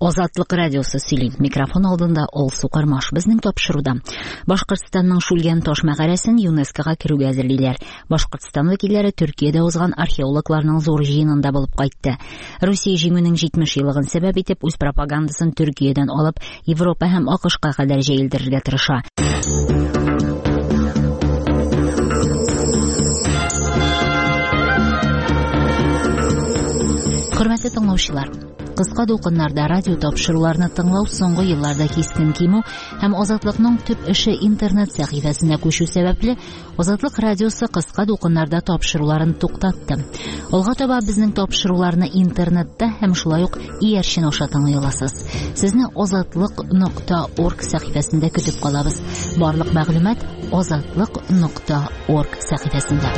Азатлык радиосы сөйли. Микрофон алдында Алсу Кармаш. Безнең тапшыруда Башкортстанның Шүлгән таш мәгарәсен ЮНЕСКОга керүгә әзерлиләр. Башкортстан вәкилләре Төркиядә узган археологларның зур җыенында булып кайтты. Русия җиңүнең 70 еллыгын сәбәп итеп үз пропагандасын Төркиядән алып Европа һәм АКШка кадәр җәелдерергә тырыша. Хөрмәтле тыңлаучылар, кыска дулкыннарда радио тапшыруларны тыңлау соңгы елларда кискен кимү һәм Азатлыкның төп эше интернет сәхифәсенә күчү сәбәпле, Азатлык радиосы кыска дулкыннарда тапшыруларын туктатты. Алга таба безнең тапшыруларны интернетта һәм шулай ук иярчен аша тыңлый аласыз. Сезне azatliq.org сәхифәсендә көтеп калабыз. Барлык мәгълүмат azatliq.org сәхифәсендә.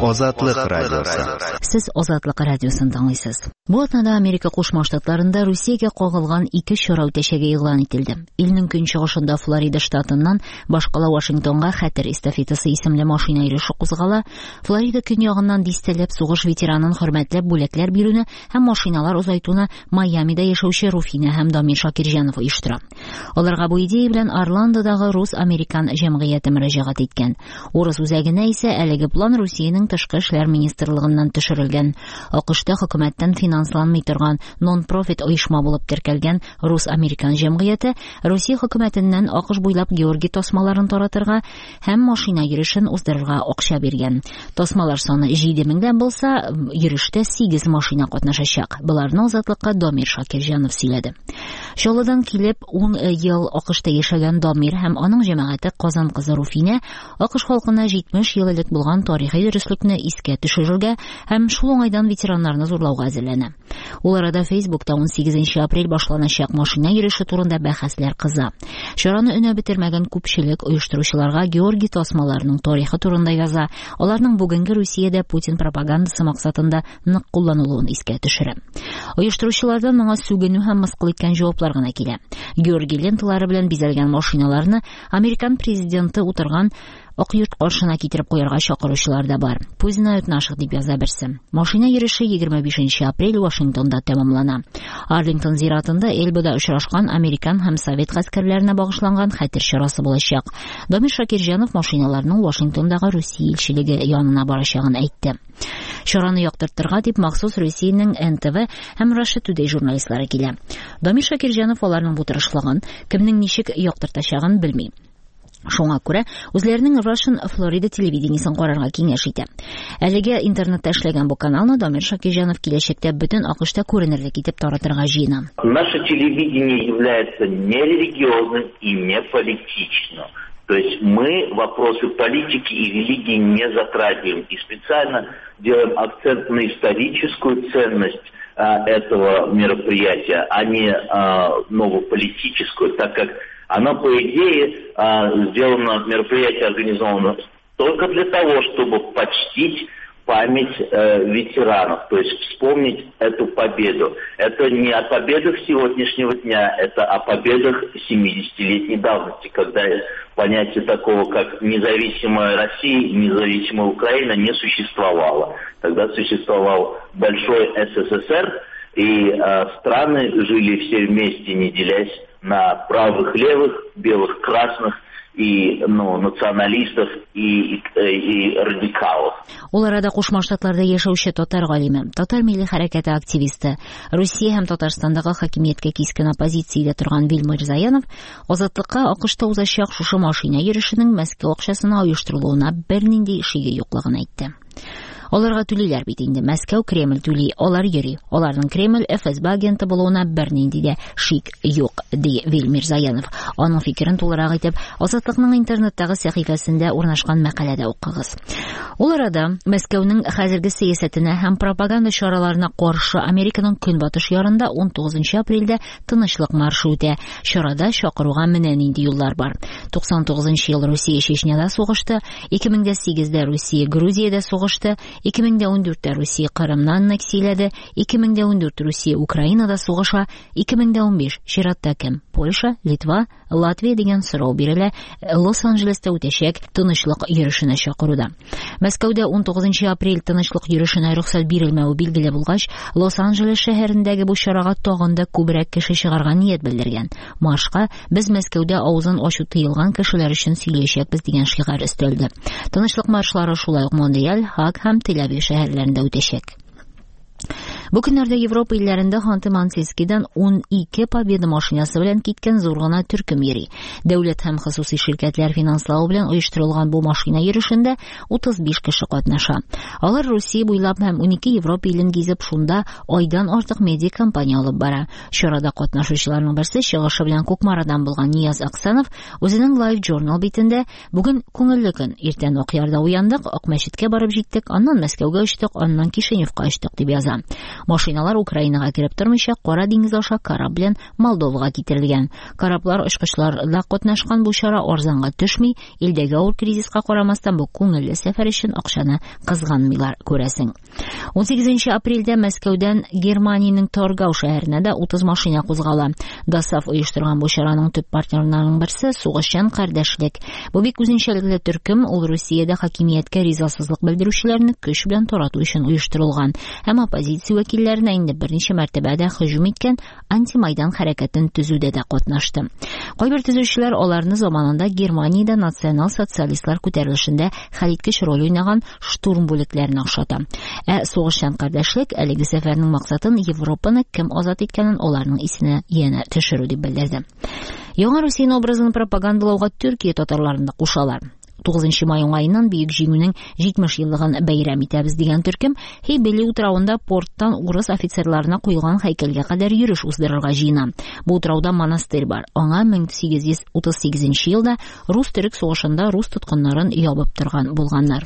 Азатлык радиосы. Сез Азатлык радиосын тыңлыйсыз. Бу атнада Америка Кушма Штатларында Русиягә кагылган ике чара үтәчәге игълан ителде. Илнең көнчыгышында Флорида штатыннан башкала Вашингтонга хәтер эстафетасы исемле машина йөреше кузгала. Флорида көньягыннан дистәләп сугыш ветеранын хөрмәтләп бүләкләр бирүне һәм машиналар озайтуны Майамида яшәүче Руфина һәм Дамир Шакирҗанов оештыра. Аларга бу идея белән Орландодагы рус-американ җәмгыяте мөрәҗәгать иткән. Урыс үзәгенә исә әлеге план Русиянең тышкы эшләр министрлыгыннан төшерелгән. АКШта хөкүмәттән финансланмый торган нон-профит оешма булып теркәлгән рус-американ җәмгыяте Русия хөкүмәтеннән АКШ буйлап Георгий тасмаларын таратырга һәм машина йөрешен уздырырга акча биргән. Тасмалар саны 7 меңдән булса, йөрештә 8 машина катнашачак. Боларны Азатлыкка Дамир Шакирҗанов сөйләде. Чаллыдан килеп 10 ел АКШта яшәгән Дамир һәм аның җәмәгате Казан кызы Руфинә АКШ халкына 70 ел элек булган тарихи дөреслекне искә төшерергә һәм шул уңайдан ветераннарны зурлауга әзерләнә. Ул арада Фейсбукта 18 апрель башланачак машина йөреше турында бәхәсләр кыза. Чараны өнәп бетермәгән күпчелек оештыручыларга Георгий тасмаларының тарихы турында яза, аларның бүгенге Русиядә Путин пропагандасы максатында нык кулланылуын искә төшерә. Оештыручылардан моңа сүгенү һәм мыскыл иткән җаваплар гына килә. Георгий ленталары белән бизәлгән машиналарны американ президенты утырган Ак йорт каршына китереп куярга чакыручылар да бар. Пусть знают наших, дип яза берсе. Машина йөреше 25 апрель Вашингтонда тәмамлана. Арлингтон зиратында Эльбада очрашкан американ һәм совет гаскәрләренә багышланган хәтер чарасы булачак. Дамир Шакирҗанов машиналарның Вашингтондагы Русия илчелеге янына барачагын әйтте. Чараны яктыртырга дип махсус Русиянең НТВ һәм Russia Today журналистлары килә. Дамир Шакирҗанов аларның бу тырышлыгын, кемнең ничек яктыртачагын белми. Шуңа күрә үзләренең Russian Florida телевидениесен карарга киңәш итә. Әлегә интернетта эшләгән бу каналны Дамир Шакирҗанов киләчәктә бөтен АКШта күренерлек итеп таратырга җыена. Наше телевидение является не религиозным и не политичным. То есть мы вопросы политики и религии не затрагиваем и специально делаем акцент на историческую ценность этого мероприятия, а не новую политическую, так как оно, по идее, сделано, мероприятие организовано только для того, чтобы почтить память ветеранов, то есть вспомнить эту победу. Это не о победах сегодняшнего дня, это о победах 70-летней давности, когда понятие такого, как независимая Россия и независимая Украина, не существовало. Тогда существовал большой СССР, и страны жили все вместе, не делясь на правых, левых, белых, красных и, националистов и радикалов. Ул арада Кушма Штатларда яшәүче татар галиме, татар милли хәрәкәте активисты, Русия һәм Татарстандагы хакимияткә кискен оппозициядә торган Вил Мирзаянов Азатлыкка АКШта узачак шушы машина йөрешенең Мәскәү акчасына оештырылуына бернинди шиге юклыгын әйтте. Аларга түлиләр бит инде. Мәскәү Кремль түли, алар йөри. Аларның Кремль ФСБ агенты булуына бернинди дә шик юк, ди Вил Мирзаянов. Аның фикерен тулырак итеп Азатлыкның интернеттагы сәхифәсендә урнашкан мәкаләдә укыгыз. Ул арада Мәскәүнең хәзерге сәясәтенә һәм пропаганда чараларына каршы Американың көнбатыш ярында 19 апрельдә тынычлык маршы үтә. Чарада чакыруга менә нинди юллар бар. 99 ел Русия Чечняда сугышты, 2008-дә Русия Грузиядә сугышты, 2014-тә Русия Кырымны аннексияләде, 2014 Русия Украинада сугыша, 2015 чиратта кем? Польша, Литва, Латвия дигән сорау бирелә Лос-Анджелеста үтәчәк тынычлык йөрешенә чакыруда. Мәскәүдә 19 апрель тынычлык йөрешенә рөхсәт бирелмәве билгеле булгач, Лос-Анджелес шәһәрендәге бу чарага тагын да күбрәк кеше чыгарга ният белдергән. Маршка без Мәскәүдә авызын ачу тыелган кешеләр өчен сөйләячәкбез дигән шигарь өстәлде. Тынычлык маршлары шулай ук Монреаль, Хаг һәм Тель-Авив шәһәрләрендә үтәчәк. Бу көннәрдә Европа илләрендә Ханты-Мансийскийдан 12 Победа машинасы белән киткән зур гына төркем йөри. Дәүләт һәм хосусый ширкәтләр финанславы белән оештырылган бу машина йөрешендә 35 кеше катнаша. Алар Русия буйлап һәм 12 Европа илен гизеп, шунда айдан артык медиа кампания алып бара. Чарада катнашучыларның берсе чыгышы белән Кукмарадан булган Нияз Аксанов үзенең Live Journal битендә бүген күңелле көн, иртән Акъярда уяндык, Акмәчеткә барып җиттек, аннан Мәскәүгә очтык, аннан Кишиневка очтык дип яза. Машиналар Украинага кереп тормыйча, Кара диңгез аша кораб белән Молдовага китерелгән. Кораблар очкычларда катнашкан бу чара арзанга төшми, илдәге авыр кризиска карамастан бу күңелле сәфәр өчен акчаны кызганмыйлар, күрәсең. 18 апрельдә Мәскәүдән Германиянең Торгау шәһәренә дә 30 машина кузгала. ДОСААФ оештырган бу чараның төп партнерларының берсе Сугышчан кардәшлек. Бу бик үзенчәлекле төркем, ул Русиядә хакимияткә ризасызлык белдерүчеләрне көч белән тарату өчен оештырылган һәм оппозиция вәкилләренә инде берничә мәртәбә дә һөҗүм иткән антимайдан хәрәкәтен төзүдә дә катнашты. Кайбер төзүчеләр аларны заманында Германиядә национал-социалистлар күтәрелешендә хәлиткеч роль уйнаган штурм бүлекләренә охшата. Ә сугышчан кардәшлек әлеге сәфәрнең максатын Европаны кем азат иткәнен аларның исенә янә төшерү дип белдерде. Яңа Русия образын пропагандалауга Төркия татарларын да кушалар. 9 май уңаеннан Бөек Җиңүнең 70 еллыгын бәйрәм итәбез дигән төркем Хейбели утравында порттан урыс офицерларына куелган һәйкәлгә кадәр йөреш уздырырга җыена. Бу утрауда монастырь бар. Аңа 1838 елда рус-төрек сугышында рус тоткыннарын ябып торган булганнар.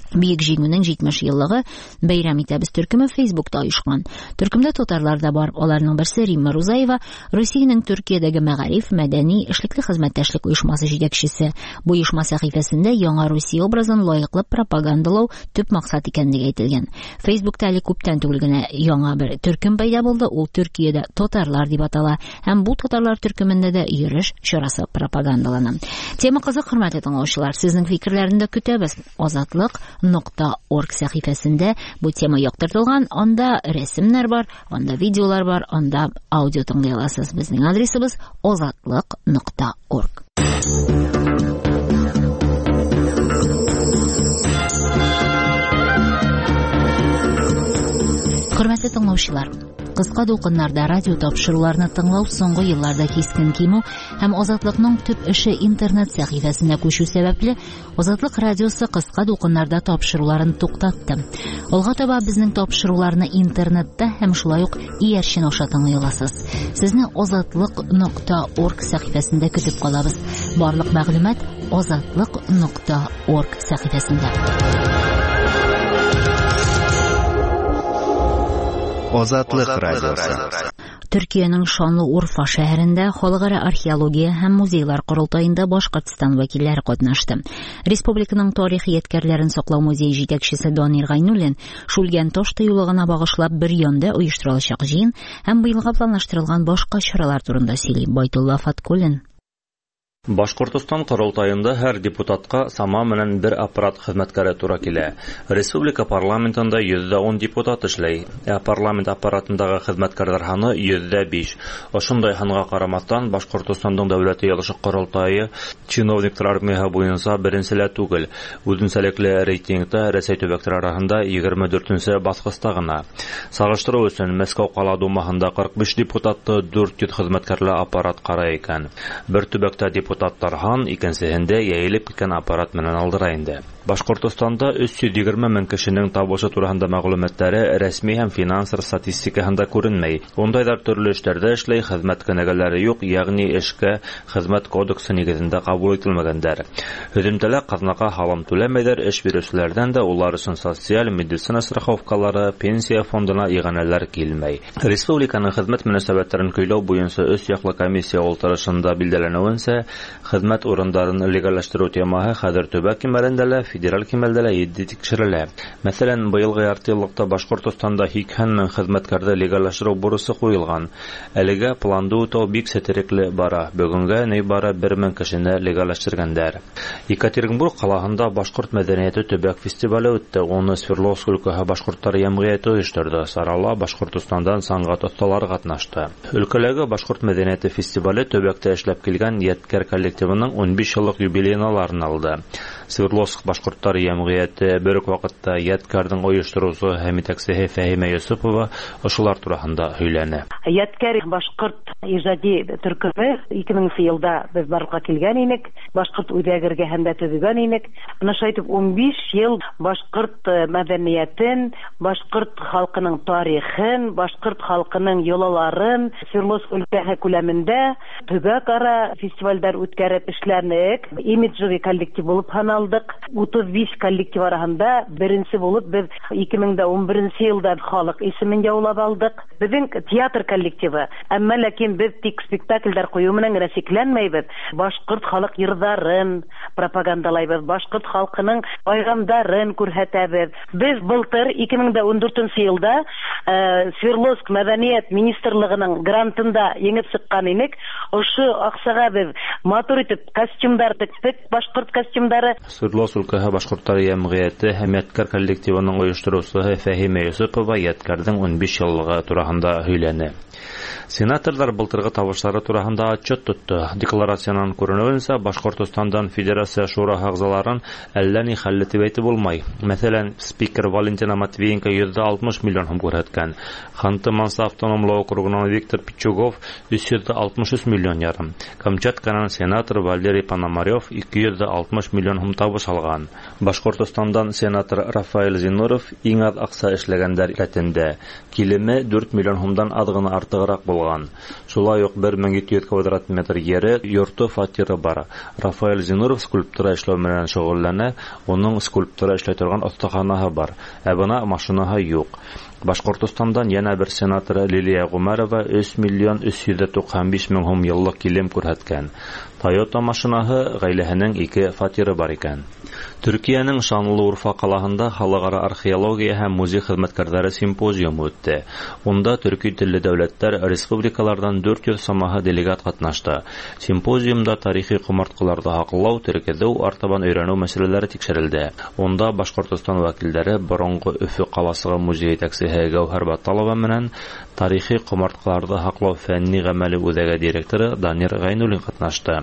Бөек Җиңүнең 70 еллыгы бәйрәм итәбез төркеме Фейсбукта оешкан. Төркемдә татарлар да бар. Аларның берсе Римма Рузаева, Русиянең Төркиядәге мәгариф, мәдәни, эшлекле хезмәттәшлек оешмасы җитәкчесе. Бу оешма сәхифәсендә яңа Русия образын лаеклы пропагандалау төп максат икәнлеге әйтелгән. Фейсбукта әле күптән түгел генә яңа бер төркем пәйда булды. Ул Төркиядә татарлар дип атала һәм бу татарлар төркемендә дә йөреш чарасы пропагандалана. Тема кызык, хөрмәтле тыңлаучылар. Сезнең фикерләрне дә көтәбез. Азатлык.орг сәхифәсендә бу тема яктыртылган. Анда рәсемнәр бар, анда видеолар бар, анда аудио тыңлый аласыз. Безнең адресыбыз азатлык.орг. Хөрмәтле тыңлаучылар, кыска дулкыннарда радио тапшыруларны тыңлау соңгы елларда кискен кимү һәм Азатлыкның төп эше интернет сәхифәсенә күчү сәбәпле, Азатлык радиосы кыска дулкыннарда тапшыруларын туктатты. Алга таба безнең тапшыруларны интернетта һәм шулай ук иярчен аша тыңлый аласыз. Сезне азатлык.орг сәхифәсендә көтеп калабыз. Барлык мәгълүмат азатлык.орг сәхифәсендә. Азатлык радиосы. Төркиянең шанлы Урфа шәһәрендә халыкара археология һәм музейлар корылтаенда Башкортстан вәкилләре катнашты. Республиканың тарихи ядкәрләрен саклау музее җитәкчесе Данир Гайнуллин Шүлгән таш тыюлыгына багышлап бер янда оештырылачак җыен һәм быелга планлаштырылган башка чаралар турында сөйли. Байтулла Фаткуллин. Башкортостан корылтаенда һәр депутатка сама менән бер аппарат хезмәткәре тура килә. Республика парламентында 110 депутат эшләй, ә парламент аппаратындагы хезмәткәрләр һаны 105. Ошондай һанга карамастан, Башкортостандың дәүләт йыелышы корылтае чиновниклар армияһы буенча беренчелә түгел. Үзенчәлекле рейтингта Рәсәй төбәкләре арасында 24нче баскычта гына. Сагыштыру өчен Мәскәү кала думаһында 45 депутатты 400 хезмәткәрле аппарат карай икән. Бер төбәктә депутат Тархан, икенсеһендә йәйелеп киткән аппарат менән алдыра инде. Башкортостанда 320 мең кешенең табышы тураһында мәгълүматлары рәсми һәм финанс статистикаһында күренмәй. Ундайлар төрле эшләрдә эшләй, хезмәт кенәгәләре юк, ягъни эшкә хезмәт кодексы нигезендә кабул ителмәгәндәр. Һөҙөмтәлә ҡаҙнаға һалым түләмәйҙәр, эш биреүселәрҙән дә улар өсөн социаль, медицина страховкалары, пенсия фондына иғанәләр килмәй. Республиканың хеҙмәт мөнәсәбәттәрен көйләү буйынса өс яҡлы комиссия ултырышында билдәләнеүенсә, хеҙмәт урындарын легалләштереү темаһы хәҙер төбәк кимәлендә лә, федераль кимәлдә лә етди тикшерелә. Мәҫәлән, быйылғы ярты йыллыҡта Башҡортостанда 80 мең хеҙмәткәрҙе легаллаштырыу бурысы ҡуйылған. Әлегә планды үтәү бик сетерекле бара. Бөгөнгә ни бары 1 мең кешене легаллаштырғандар. Екатеринбург ҡалаһында башҡорт мәҙәниәте төбәк фестивале үтте. Уны Свердловск өлкәһе башҡорттар йәмғиәте ойошторҙо. Сарала Башҡортостандан сәнғәт оҫталары ҡатнашты. Өлкәләге башҡорт мәҙәниәте фестивале төбәктә эшләп килгән Йәткәр коллективының 15 йыллыҡ юбилейына арналды. Свердловск башҡорттар йәмғиәте бер үк ваҡытта Йәткәрҙең ойоштороусыһы һәм етәксеһе Фәһимә Йосопова ошолар тураһында һөйләне. Йәткәр башҡорт ижади төркөмө 2000 йылда беҙ барлыҡҡа килгән инек, башҡорт үҙәге эргәһендә төҙөгән инек. Бына шулай итеп 15 йыл башҡорт мәҙәниәтен, башҡорт халҡының тарихын, башҡорт халҡының йолаларын Свердловск өлкәһе күләмендә төбәк-ара фестивалдәр үткәреп эшләнек. Имиджевый коллектив булып һаналдыҡ. 35 коллектив араһында беренсе булып беҙ 2011 йылда халыҡ исемен яулап алдыҡ. Беҙҙең театр коллективы, әммә ләкин беҙ тик спектаклдәр ҡуйыу менән генә сикләнмәйбеҙ. Башҡорт халыҡ йырҙарын пропагандалайбыҙ, башҡорт халҡының байрамдарын күрһәтәбеҙ. Беҙ былтыр 2014 йылда Свердловск мәҙәниәт министрлығының грантында еңеп сыҡҡан инек. Ошо аҡсаға беҙ матур итеп костюмдар тектек, башҡорт костюмдары. Свердловск өлкәһе башҡорттар йәмғиәте һәм Йәткәр коллективының ойоштороусыһы Фәһимә Йосопова Йәткәрҙең 15 йыллығы тураһында һөйләне. Сенаторҙар былтырғы табыштары тураһында отчет тотто. Декларациянан күренеүенсә, Башҡортостандан Федерация Шураһы ағзаларын әллә ни хәлле тип әйтеп булмай. Мәҫәлән, спикер Валентина Матвиенко 160 миллион һум күрһәткән. Ханты-Мансы автономлы округынан Виктор Пичугов 363 миллион ярым. Камчатканан сенатор Валерий Пономарев 260 миллион һум табыш алған. Башҡортостандан сенатор Рафаэль Зинуров иң аҙ аҡса эшләгәндәр рәтендә. Килеме 4 миллион һумдан аҙ ғына артығыраҡ булған. Шулай уҡ 1700 квадрат метр ере, йорто, фатиры бар. Рафаэль Зинуров скульптура эшләү менән шөғөлләнә, уның скульптура эшләй торған оҫтаханаһы бар, ә бына машинаһы юҡ. Башҡортостандан йәнә бер сенатор Лилия Ғүмәрова 3 миллион 395 мең һум йыллыҡ килем күрһәткән. Тойота машинаһы, ғаиләһенең 2 фатиры бар икән. Төркиәнең Шанлыурфа ҡалаһында халыҡ-ара археология һәм музей хеҙмәткәрҙәре симпозиумы үтте. Унда төрки телле дәүләттәр, республикаларҙан 400 самаһы делегат ҡатнашты. Симпозиумда тарихи ҡомартҡыларҙы һаҡлау, теркәҙеү, артабан өйрәнеү мәсьәләләре тикшерелде. Унда Башҡортостан вәкилдәре боронғо Өфө ҡаласығы музей етәксеһе Гәүһәр Баталова менән тарихи ҡомартҡыларҙы һаҡлау фәнни ғәмәле үҙәге директоры Данир Ғәйнуллин ҡатнашты.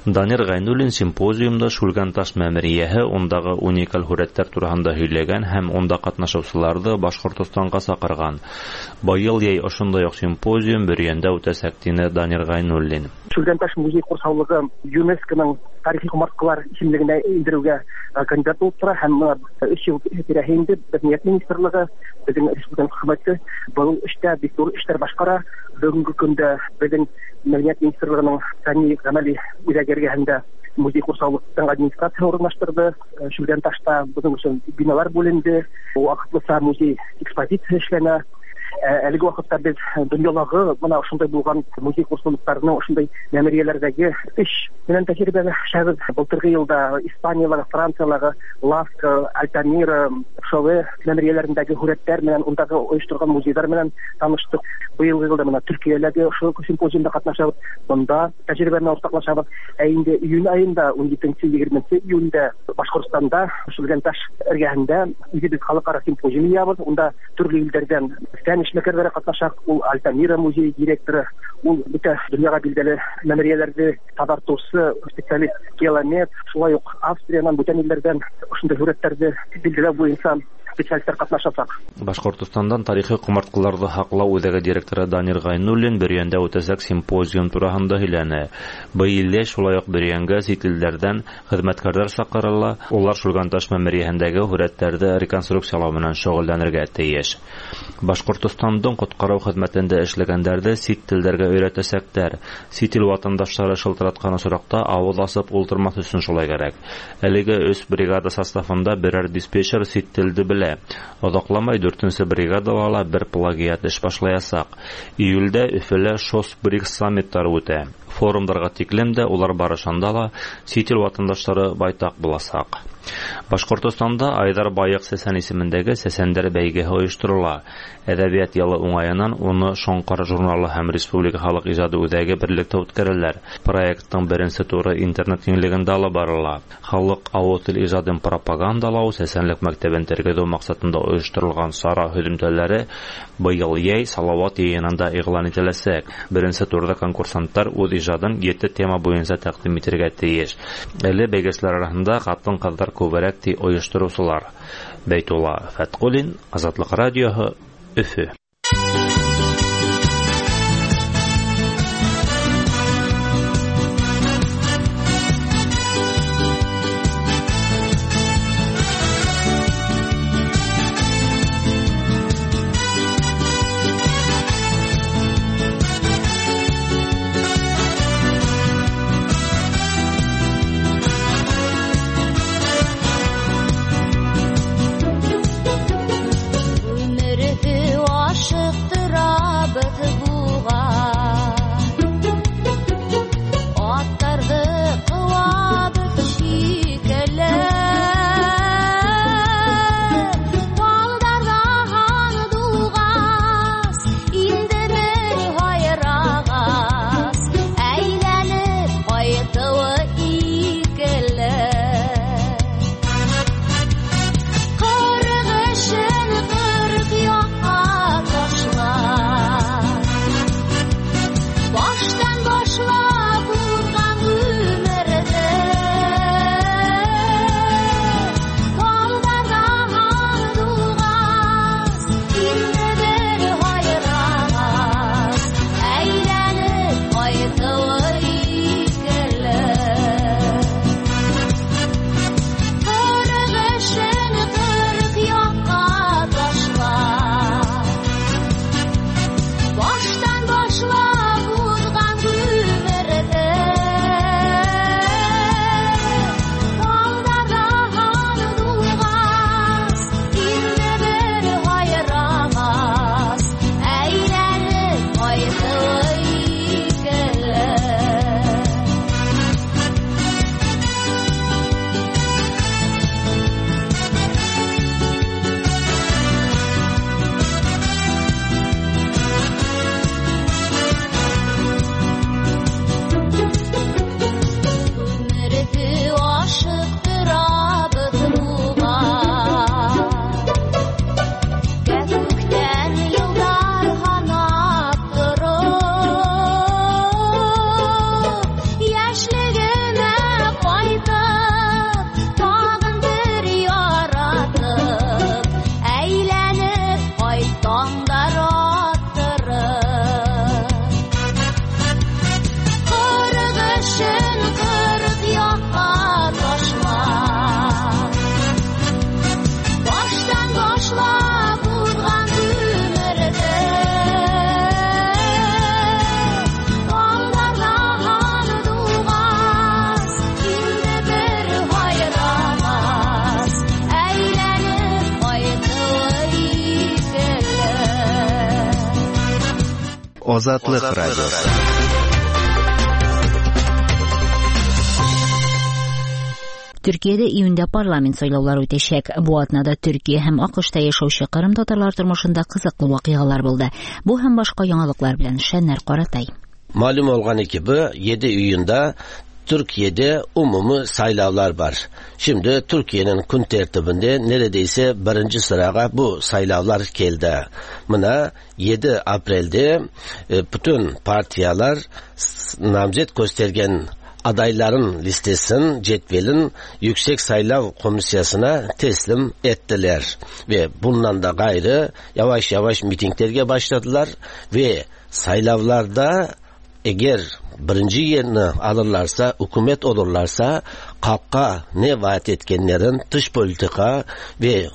Данир Ғәйнуллин симпозиумда Шүлгәнташ мәмерйәһе, ундағы уникаль һүрәттәр тураһында һөйләгән һәм унда ҡатнашыусыларҙы Башҡортостанға саҡырған. Быйыл йәй ошондай уҡ симпозиум Бөрйәндә үтәсәк, тине Данир Ғәйнуллин. Шүлгәнташ музей ҡорсаулығы ЮНЕСКО-ның тарихи ҡомартҡылар исемлегенә индереүгә кандидат булып тора һәм бына 3 йыл тирәһе инде Мәҙәниәт министрлығы, беҙҙең республика хөкүмәте был эштә бик ҙур эштәр башҡара. Бөгөнгө көндә беҙҙең Мәҙәниәт министрлығының фәнни ғәмәли үҙәге эргәһендә музей ҡорсаулыҡтың администрацияһы урынлаштырҙы. Шүлгәнташта бының өсөн биналар бүленде, ваҡытлыса музей экспозиция эшләнә. Әлеге ваҡытта беҙ донъялағы бына ошондай булған музей ҡорсаулыҡтарының ошондай мәмерйәләрҙәге эш менән тәжрибәләшәбеҙ. Былтырғы йылда Испаниялағы, Франциялағы Ласка, Альтамира, Шове мәмерйәләрендәге һүрәттәр менән, ундағы ойошторған музейҙар менән таныштыҡ. Быйылғы йылда бына Төркиәләге ошо симпозиумда ҡатнашабыҙ, бында тәжрибә менән уртаҡлашабыҙ. Ә инде июнь айында, 17-20 июндә Башҡортостанда Шүлгәнташ эргәһендә үҙебеҙ халыҡ-ара симпозиум йыябыҙ. Унда төрлө илдәрҙән фән эшмәкәрҙәре ҡатнаша. Ул Альтамира музей директоры, ул бөтә донъяға билдәле мәмерйәләрҙе таҙартыусы специалист Келомет, шулай уҡ Австриянан, бүтән илдәрҙән ошондай һүрәттәрҙе билдәләү буйынса специалисттар ҡатнашасаҡ. Башҡортостандан тарихи ҡомартҡыларҙы һаҡлау үҙәге директоры Данир Ғәйнуллин Бөрйәндә үтәсәк симпозиум тураһында һөйләне. Быйыл йәй шулай уҡ Бөрйәнгә сит илдәрҙән хеҙмәткәрҙәр саҡырыла, улар Шүлгәнташ мәмерйәһендәге һүрәттәрҙе реконструкциялау менән шөғөлләнергә тейеш. Башҡортостандың ҡотҡарыу хеҙмәтендә эшләгәндәрҙе сит телдәргә өйрәтәсәктәр. Сит ил ватандаштары шылтыратҡан осраҡта ауыҙ асып ултырмаҫ өсөн шулай кәрәк. Әлеге 3 бригада составында берәр диспетчер сит телде белә. Оҙаҡламай 4-нсе бригадала ла бер плагиат эш башлаясаҡ. Июлдә Өфөлә ШОС БРИКС саммиттары үтә. Форумдарға тиклем дә, улар барышында ла сит ил ватандаштары байтаҡ буласаҡ. Башҡортостанда Айҙар Байыҡ Сәсән исемендәге Сәсәндәр бәйгеһе ойошторола. Әҙәбиәт йылы уңайынан уны Шоңҡар журналы һәм Республика халыҡ ижады үҙәге берлектә үткәрәләр. Проекттың беренсе туры интернет киңлегендә алып барыла. Халыҡ ауыҙ тел ижадын пропагандалау, сәсәнлек мәктәбен тергеҙеү маҡсатында ойошторолған сара һөҙөмтәләре быйыл йәй Салауат йыйынында иғлан ителәсәк. Беренсе турҙа конкурсанттар үҙ ижадын 7 тема буйынса тәҡдим итергә тейеш. Әле бәйгеселәр араһында ҡатын-ҡыҙҙар күберәк, ти ойоштороусылар. Бәйтулла Фәтҡуллин, Азатлыҡ радиоһы, Өфө. Азатлык радиосы. Төркиәдә июндә парламент сайлаулары үтәчәк. Бу атнада Төркиә һәм АКШта яшәүче Кырым татарлары тормышында кызыклы вакыйгалар булды. Бу һәм башка яңалыклар белән Шәннәр Каратай. Malum olğanı gibi 7 iyunda Türkiye'de umumi saylavlar var. Şimdi Türkiye'nin kun tertibinde neredeyse birinci sırağa bu saylavlar geldi. Mına 7 Aprel'de bütün partiyalar namzet göstergen adayların listesinin, cetvelin Yüksek Saylav Komisyası'na teslim ettiler. Ve bundan da gayrı yavaş yavaş mitinglerge başladılar ve saylavlarda eğer birinci yerini alırlarsa, hükümet olurlarsa, halka ne vaat etkenlerin dış politika ve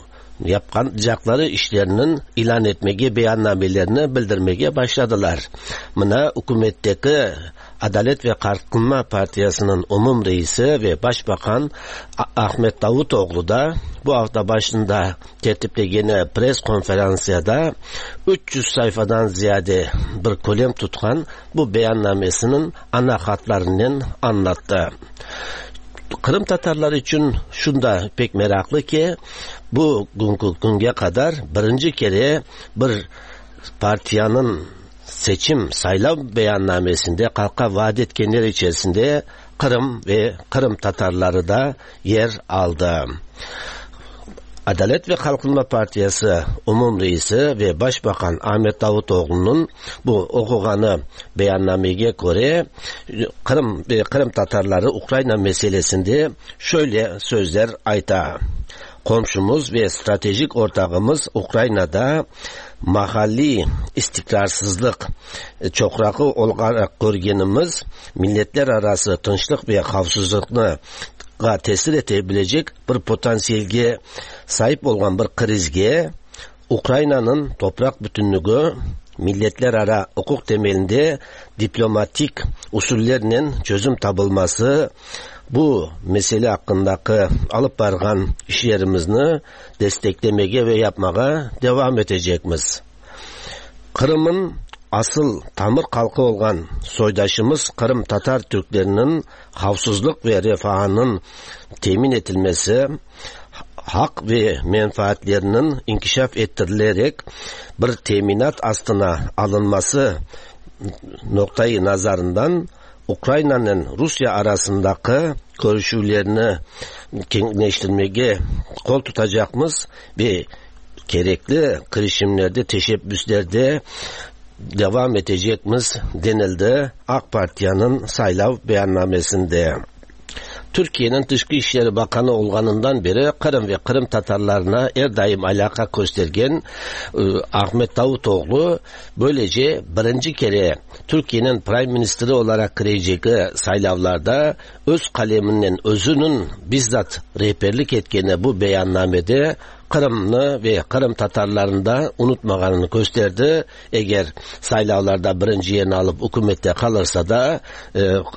yapacakları işlerinin ilan etmege, beyannamelerini bildirmege başladılar. Mına hükümetteki Adalet ve Kalkınma Partisi'nin umum reisi ve Başbakan Ahmet Davutoğlu da bu hafta başında tertiplegeni pres konferansiyada 300 sayfadan ziyade bir kalem tutkan bu beyannamesinin ana hatlarından anlattı. Kırım Tatarları için şunda pek meraklı ki bu günkü kadar birinci kere bir partiyanın seçim saylav beyannamesinde halka vaat etkenler içerisinde Kırım ve Kırım Tatarları da yer aldı. Adalet ve Kalkınma Partisi Umum Reisi ve Başbakan Ahmet Davutoğlu'nun bu okuğanı beyannameye göre Kırım ve Kırım Tatarları Ukrayna meselesinde şöyle sözler ayta. Komşumuz ve stratejik ortağımız Ukrayna'da mahalli istikrarsızlık çoqraqı olarak görgenimiz milletler arası tınçlık ve xavfsizlikni tesir etebilecek bir potansiyelge sahip olgan bir krizge Ukrayna'nın toprak bütünlüğü milletler ara hukuk temelinde diplomatik usullerle çözüm tabılması bu mesele hakkındaki alıp bargan işlerimizni desteklemege ve yapmağa devam edecekmiz. Kırım'ın asıl tamır halkı olan soydaşımız Kırım Tatar Türklerinin havsuzluk ve refahının temin edilmesi, hak ve menfaatlerinin inkişaf ettirilerek bir teminat astına alınması noktayı nazarından Ukrayna'nın Rusya arasındaki görüşülerini kenginleştirmeye kol tutacakmız ve gerekli girişimlerde, teşebbüslerde devam edecekmiz denildi AK Parti'nin saylav beyannamesinde. Türkiye'nin Dışkı İşleri Bakanı olganından beri Kırım ve Kırım Tatarlarına er daim alaka göstergen Ahmet Davutoğlu böylece birinci kere Türkiye'nin Prime Minister'i olarak girecek saylavlarda öz kaleminden özünün bizzat rehberlik etkeni bu beyannamede Kırım'ını ve Kırım Tatarlarını da unutmağanını gösterdi. Eğer saylavlarda birinci yerini alıp hükümette kalırsa da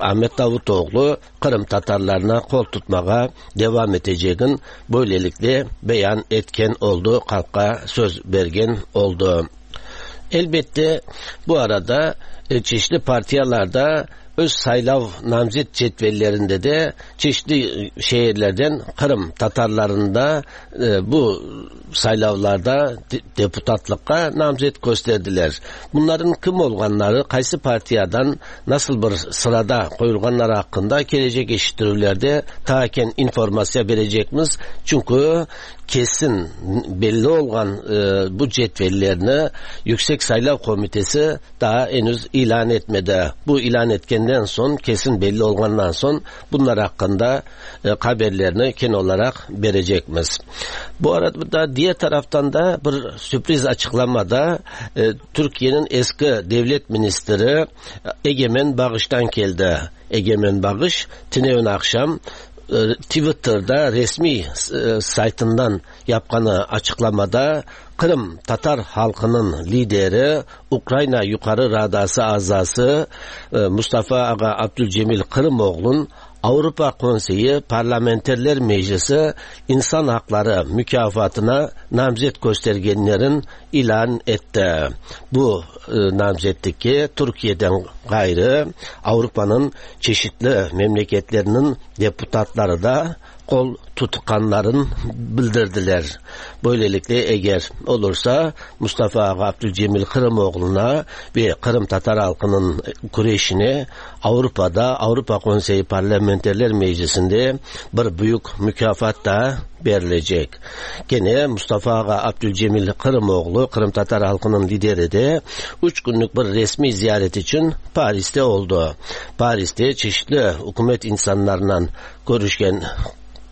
Ahmet Davutoğlu Kırım Tatarlarına kol tutmağa devam edeceğin böylelikle beyan etken oldu, halka söz bergen oldu. Elbette bu arada çeşitli partiyalarda öz saylav namzet cetvellerinde de çeşitli şehirlerden Kırım Tatarlarında bu saylavlarda deputatlıkka namzet gösterdiler. Bunların kim olganları, qaysi partiyadan nasıl bir sırada koyulganları hakkında gelecek eşittirüvlerde ta informasya verecekmiz. Çünkü kesin belli olan bu cetvellerini Yüksek Saylav Komitesi daha henüz ilan etmedi. Bu ilan etkenden son, kesin belli olgandan son bunlar hakkında haberlerini ken olarak verecekmiz. Bu arada diğer taraftan da bir sürpriz açıklamada Türkiye'nin eski devlet ministri Egemen Bağış'tan geldi. Egemen Bağış tünevin akşam Twitter'da resmi saytından yapqanı açıklamada Kırım Tatar halkının lideri Ukrayna Yukarı Radası azası Mustafa Ağa Abdülcemil Kırımoğlu'nun Avrupa Konseyi Parlamenterler Meclisi İnsan Hakları Mükafatına namzet göstergenlerin ilan etti. Bu namzetlik Türkiye'den gayrı Avrupa'nın çeşitli memleketlerinin deputatları da kol tutkanların bildirdiler. Böylelikle eğer olursa Mustafa Ağa Abdülcemil Kırımoğlu'na ve Kırım Tatar halkının güreşine Avrupa'da Avrupa Konseyi Parlamenterler Meclisi'nde bir büyük mükafat da verilecek. Gene Mustafa Ağa Abdülcemil Kırımoğlu Kırım Tatar halkının lideri de 3 günlük bir resmi ziyaret için Paris'te oldu. Paris'te çeşitli hükümet insanlarla görüşken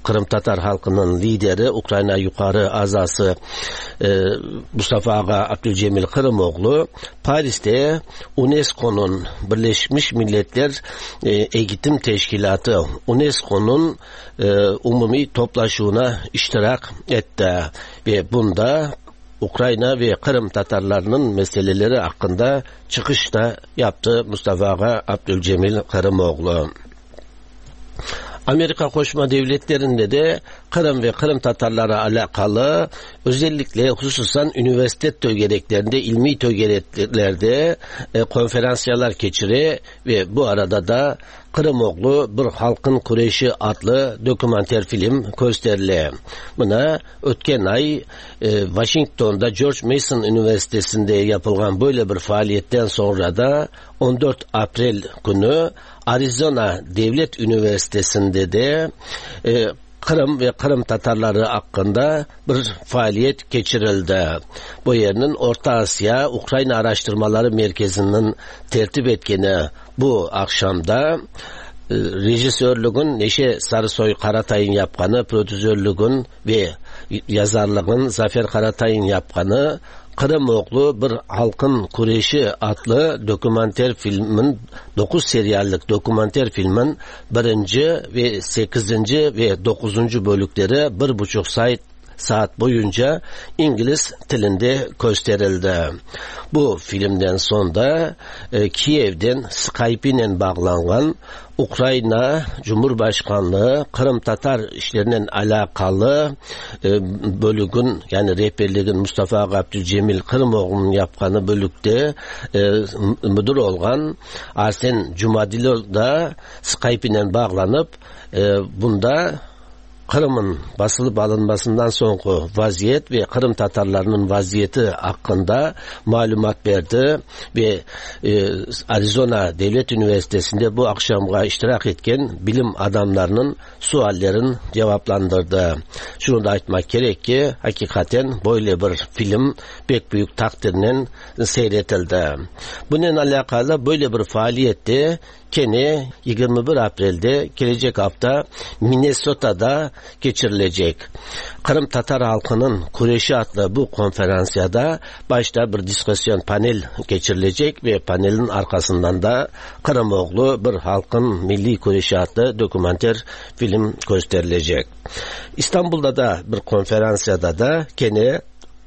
Kırım Tatar halkının lideri Ukrayna Yukarı Azası Mustafa Ağa Abdülcemil Kırımoğlu Paris'te UNESCO'nun Birleşmiş Milletler Eğitim Teşkilatı UNESCO'nun umumi toplaşığına iştirak etti ve bunda Ukrayna ve Kırım Tatarlarının meseleleri hakkında çıkış da yaptı Mustafa Ağa Abdülcemil Kırımoğlu. Amerika Qoşma Devletleri'nde de Kırım ve Kırım Tatarları alakalı özellikle hususan üniversite tögereklerinde, ilmi tögereklerde konferansyalar geçire ve bu arada da Kırımoğlu Bir Halkın Kureşi adlı dokümanter film gösterildi. Buna ötken ay Washington'da George Mason Üniversitesi'nde yapılan böyle bir faaliyetten sonra da 14 April günü Arizona Devlet Üniversitesi'nde de Kırım ve Kırım Tatarları hakkında bir faaliyet geçirildi. Bu yerinin Orta Asya Ukrayna Araştırmaları Merkezi'nin tertip etkeni bu akşamda rejisörlüğün Neşe Sarısoy Karatay'ın yapqanı, prodüzörlüğün ve yazarlığın Zafer Karatay'ın yapqanı Kırımoğlu Bir Halkın Kureşi adlı dokümanter filmin 9 seriallik dokümanter filmin 1. ve 8. ve 9. bölükleri 1,5 saat boyunca İngiliz dilinde gösterildi. Bu filmden sonra Kiev'den Skype ile bağlanan Ukrayna Cumhurbaşkanlığı Kırım Tatar işlerinin alakalı bölüğün, yani rehberliğin Mustafa Abdülcemil Kırımoğlu'nun yapqanı bölükte müdür olgan Arsen Cumadilov da Skype ile bağlanıp bunda Kırım'ın basılıp alınmasından sonraki vaziyet ve Kırım Tatarlarının vaziyeti hakkında malumat verdi ve Arizona Devlet Üniversitesi'nde bu akşamga iştirak etken bilim adamlarının suallerini cevaplandırdı. Şunu da aytmak gerek ki hakikaten böyle bir film pek büyük takdirle seyretildi. Bununla alakalı böyle bir faaliyette Kene 21 April'de gelecek hafta Minnesota'da geçirilecek. Kırım Tatar halkının Kureşi adlı bu konferansiyada başta bir diskusyon panel geçirilecek ve panelin arkasından da Kırımoğlu Bir Halkın Milli Kureşi adlı dokümanter film gösterilecek. İstanbul'da da bir konferansiyada da gene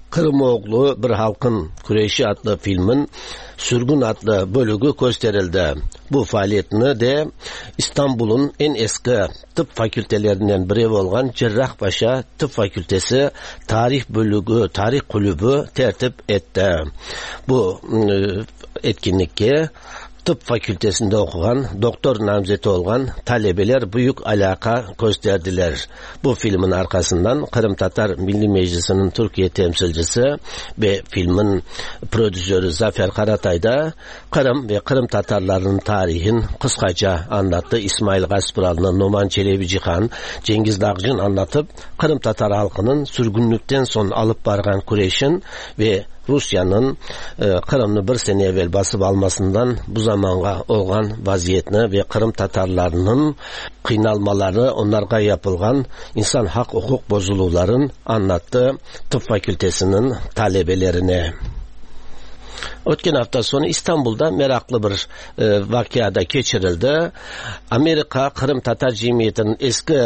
Kırımoğlu Bir Halkın Kureşi adlı filmin Sürgün adlı bölüğü gösterildi. Bu faaliyetini de İstanbul'un en eski tıp fakültelerinden biri olan Cerrahpaşa Tıp Fakültesi Tarih Bölüğü, Tarih Kulübü tertip etti. Bu etkinlikte tıp fakültesinde okuyan, doktor namzeti olan talebeler büyük alaka gösterdiler. Bu filmin arkasından Kırım Tatar Milli Meclisi'nin Türkiye temsilcisi ve filmin prodüsörü Zafer Karatay da Kırım ve Kırım Tatarlarının tarihin kıskaca anlattı. İsmail Gaspıralı'nın, Numan Çelebicihan, Cengiz Dağcı'nın anlatıp Kırım Tatar halkının sürgünlükten son alıp bargan Kureş'in ve Rusya'nın Kırım'ı bir sene evvel basıp almasından bu zamanğa olan vaziyetini ve Kırım Tatarlarının kıynalmaları, onlarga yapılgan insan hak hukuk bozuluların anlattı tıp fakültesinin talebelerine. Ötken hafta sonu İstanbul'da meraklı bir vakıada geçirildi. Amerika Kırım Tatar Cemiyeti'nin eski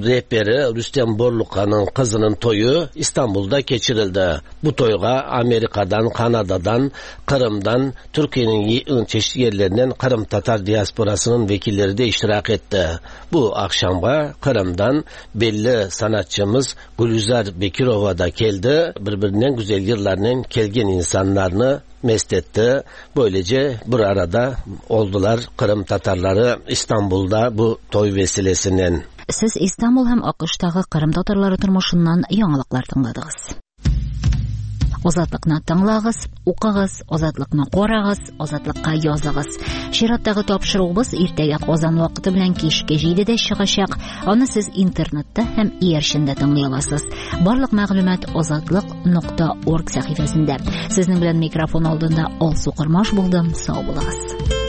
rehberi Rüstem Borlukan'ın kızının toyu İstanbul'da geçirildi. Bu toyga Amerika'dan, Kanada'dan, Kırım'dan, Türkiye'nin çeşitli yerlerinden Kırım Tatar diasporasının vekilleri de iştirak etti. Bu akşamga Kırım'dan belli sanatçımız Gülizar Bekirova da geldi. Birbirinden güzel yıllarla kelgen insanlarını mest etti. Böylece bir arada oldular Kırım Tatarları İstanbul'da bu toy vesilesinden. Сез Истанбул һәм АКШтагы Кырым татарлары тормышыннан яңалыклар тыңладыгыз. Азатлыкны тыңлагыз, укыгыз, Азатлыкны карагыз, Азатлыкка языгыз. Чираттагы тапшыруыбыз иртәгә Казан вакыты белән кичке 7-дә чыгачак. Аны сез интернетта һәм иярчендә тыңлый аласыз. Барлык мәгълүмат azatliq.org сәхифәсендә. Сезнең белән микрофон алдында Алсу Кормаш булдым. Сау булыгыз.